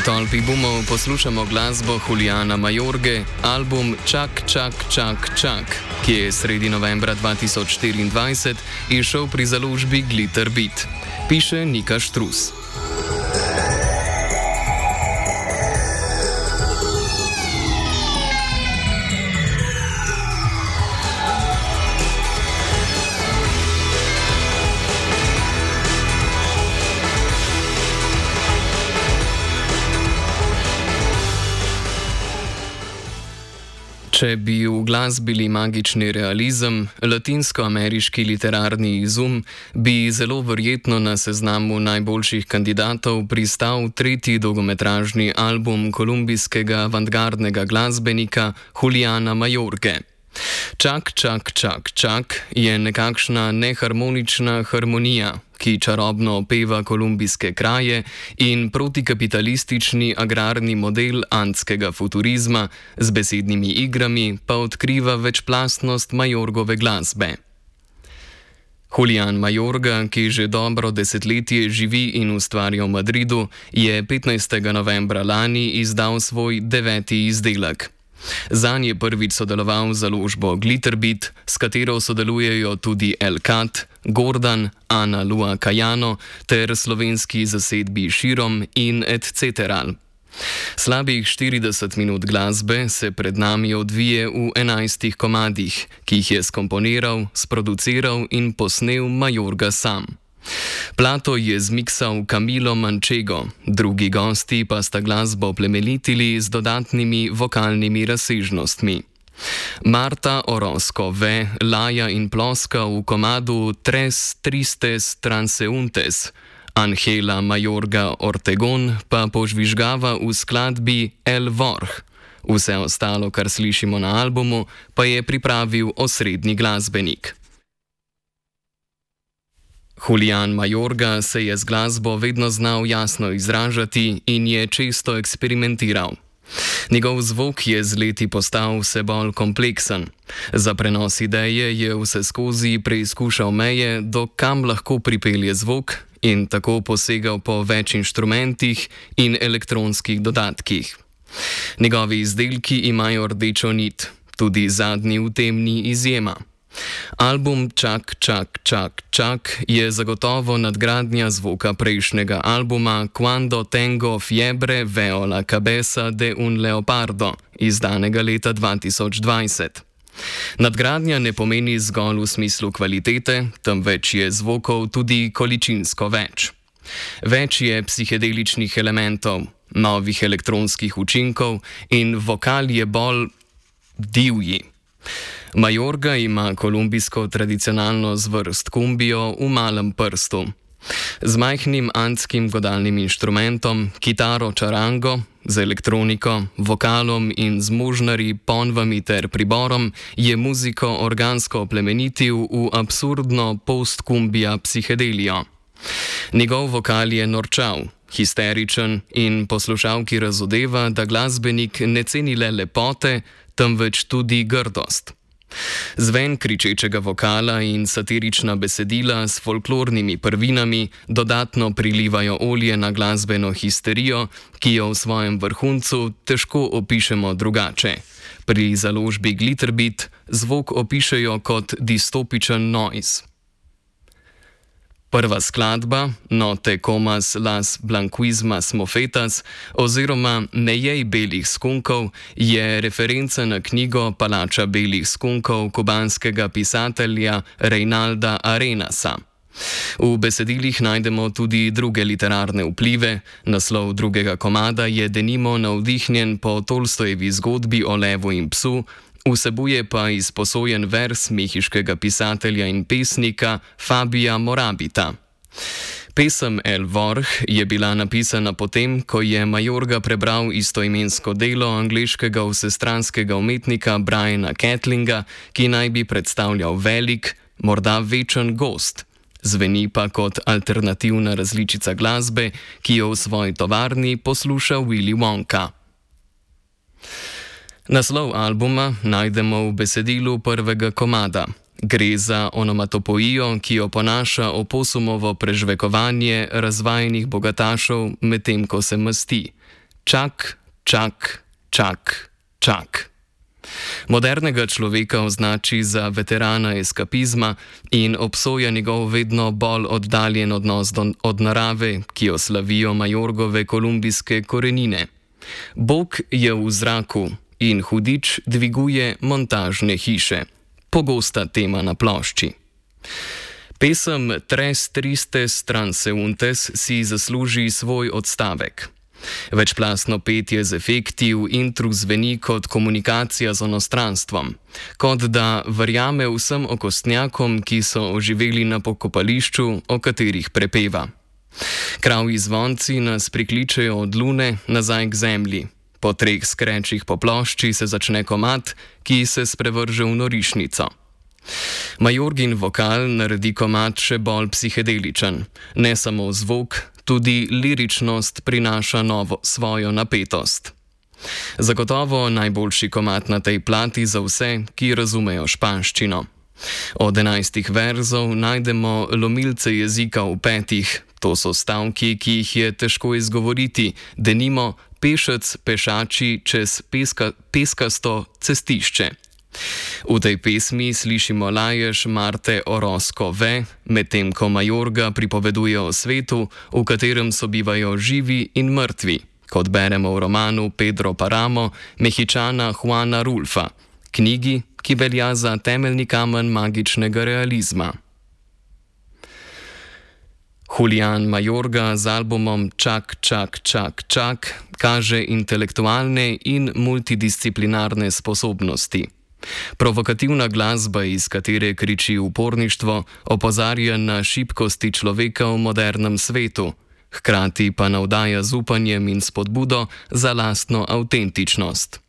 tolpi bumov poslušamo glasbo Juliana Majorge, album Čak, čak, čak, čak, ki je sredi novembra 2024 izšel pri založbi Glitter Beat. Piše Nika Štrus. Če bi v glasbili magični realizem, latinsko-ameriški literarni izum, bi zelo verjetno na seznamu najboljših kandidatov pristal tretji dolgometražni album kolumbijskega avantgardnega glasbenika Juliana Majorge. Čak, čak, čak, čak je nekakšna neharmonična harmonija, ki čarobno opeva kolumbijske kraje in protikapitalistični agrarni model andskega futurizma z besednimi igrami pa odkriva večplastnost Majorgove glasbe. Julian Majorga, ki že dobro desetletje živi in ustvarja v Madridu, je 15. novembra lani izdal svoj 9. izdelek. Zanj je prvič sodeloval z založbo Glitter Beat, s katero sodelujejo tudi El Cat, Gordon, Ana Lua Cayano ter slovenski zasedbi Širom in etc. Slabih 40 minut glasbe se pred nami odvije v 11 komadih, ki jih je skomponiral, sproduciral in posnel Majorga sam. Plato je zmiksal Camilo Manchego, drugi gosti pa sta glasbo plemenitili z dodatnimi vokalnimi razsežnostmi. Marta Orozco ve, laja in ploska v komadu Tres Tristes Transeuntes, Angela Majorga Ortegon pa požvižgava v skladbi El Vorh. Vse ostalo, kar slišimo na albumu, pa je pripravil osrednji glasbenik. Julian Majorga se je z glasbo vedno znal jasno izražati in je često eksperimentiral. Njegov zvok je z leti postal vse bolj kompleksen. Za prenos ideje je vseskozi preizkušal meje, do kam lahko pripelje zvok in tako posegal po več inštrumentih in elektronskih dodatkih. Njegovi izdelki imajo rdečo nit, tudi zadnji v tem ni izjema. Album Čak, čak, čak, čak je zagotovo nadgradnja zvoka prejšnjega albuma Cuando tengo fiebre veo la cabeza de un leopardo, izdanega leta 2020. Nadgradnja ne pomeni zgolj v smislu kvalitete, temveč je zvokov tudi količinsko več. Več je psihedeličnih elementov, novih elektronskih učinkov in vokal je bolj divji. Majorga ima kolumbijsko tradicionalno zvrst kumbijo v malem prstu. Z majhnim andskim godalnim inštrumentom, kitaro čarango, z elektroniko, vokalom in z možnari, ponvami ter priborom je muziko organsko plemenitil v absurdno post-kumbija psihedelijo. Njegov vokal je norčav, histeričen in poslušalki razodeva, da glasbenik ne ceni le lepote, temveč tudi grdost. Zven kričečega vokala in satirična besedila s folklornimi prvinami dodatno prilivajo olje na glasbeno histerijo, ki jo v svojem vrhuncu težko opišemo drugače. Pri založbi Glitter Beat zvok opišejo kot distopičen noise. Prva skladba, No te comas las blanquismas mofetas oziroma Ne jej belih skunkov, je referenca na knjigo Palača belih skunkov kubanskega pisatelja Reinalda Arenasa. V besedilih najdemo tudi druge literarne vplive, naslov drugega komada je denimo navdihnjen po Tolstojevi zgodbi o levu in psu, vsebuje pa izposojen vers mehiškega pisatelja in pesnika Fabia Morabita. Pesem El Vorh je bila napisana potem, ko je Majorga prebral istoimensko delo angleškega vsestranskega umetnika Briana Catlinga, ki naj bi predstavljal velik, morda večen gozd. Zveni pa kot alternativna različica glasbe, ki jo v svoji tovarni posluša Willy Wonka. Naslov albuma najdemo v besedilu prvega komada. Gre za onomatopoijo, ki oponaša oposumovo prežvekovanje razvajenih bogatašev, medtem ko se masti. Čak, čak, čak, čak. Modernega človeka označi za veterana eskapizma in obsoja njegov vedno bolj oddaljen odnos od narave, ki jo slavijo Majorgove kolumbijske korenine. Bog je v zraku in hudič dviguje montažne hiše. Pogosta tema na plošči. Pesem Tres tristes transeuntes si zasluži svoj odstavek. Večplastno petje z efekti v intru zveni kot komunikacija z onostranstvom, kot da verjame vsem okostnjakom, ki so oživeli na pokopališču, o katerih prepeva. Kravji zvonci nas prikličejo od lune nazaj k zemlji. Po 3 skrečih po plošči se začne komad, ki se sprevrže v norišnico. Majorgin vokal naredi komad še bolj psihedeličen. Ne samo zvok, tudi liričnost prinaša svojo napetost. Zagotovo najboljši komad na tej plati za vse, ki razumejo španščino. Od 11 verzov najdemo lomilce jezika v 5, to so stavki, ki jih je težko izgovoriti, denimo pešec pešači čez peskasto cestišče. V tej pesmi slišimo lajež Marte Orozco Ve, medtem ko Majorga pripoveduje o svetu, v katerem sobivajo živi in mrtvi, kot beremo v romanu Pedro Paramo Mehičana Juana Rulfa, knjigi, ki velja za temeljni kamen magičnega realizma. Julián Majorga z albumom Čak, čak, čak, čak kaže intelektualne in multidisciplinarne sposobnosti. Provokativna glasba, iz katere kriči uporništvo, opozarja na šibkosti človeka v modernem svetu, hkrati pa navdaja z upanjem in spodbudo za lastno avtentičnost.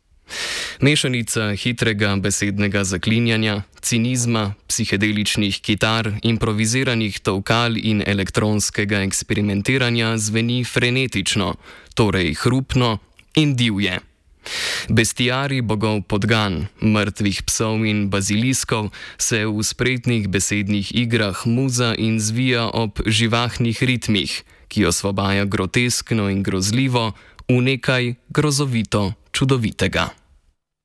Mešanica hitrega besednega zaklinjanja, cinizma, psihedeličnih kitar, improviziranih tolkal in elektronskega eksperimentiranja zveni frenetično, torej hrupno in divje. Bestiari bogov podgan, mrtvih psov in baziliskov se v spretnih besednih igrah muza in zvija ob živahnih ritmih, ki osvobaja groteskno in grozljivo v nekaj grozovito čudovitega.